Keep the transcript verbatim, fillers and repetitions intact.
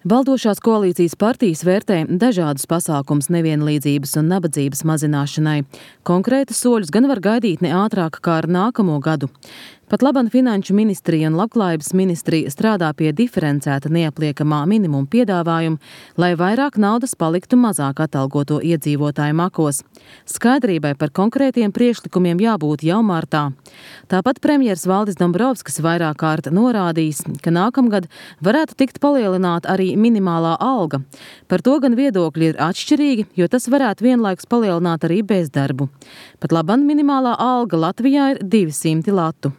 Valdošās koalīcijas partijas vērtē dažādus pasākumus nevienlīdzības un nabadzības mazināšanai. Konkrētus soļus gan var gaidīt ne ātrāk kā ar nākamo gadu. Pat laban Finanšu ministrija un Labklājības ministrija strādā pie diferencēta neapliekamā minimuma piedāvājuma, lai vairāk naudas paliktu mazāk atalgoto iedzīvotāju makos. Skaidrībai par konkrētiem priekšlikumiem jābūt jau martā. Tāpat premjers Valdis Dombrovskis vairāk kārt norādījis, ka nākamgad varētu tikt palielināta arī minimālā alga. Par to gan viedokļi ir atšķirīgi, jo tas varētu vienlaikus palielināt arī bezdarbu. Pat laban minimālā alga Latvijā ir divi simti latu.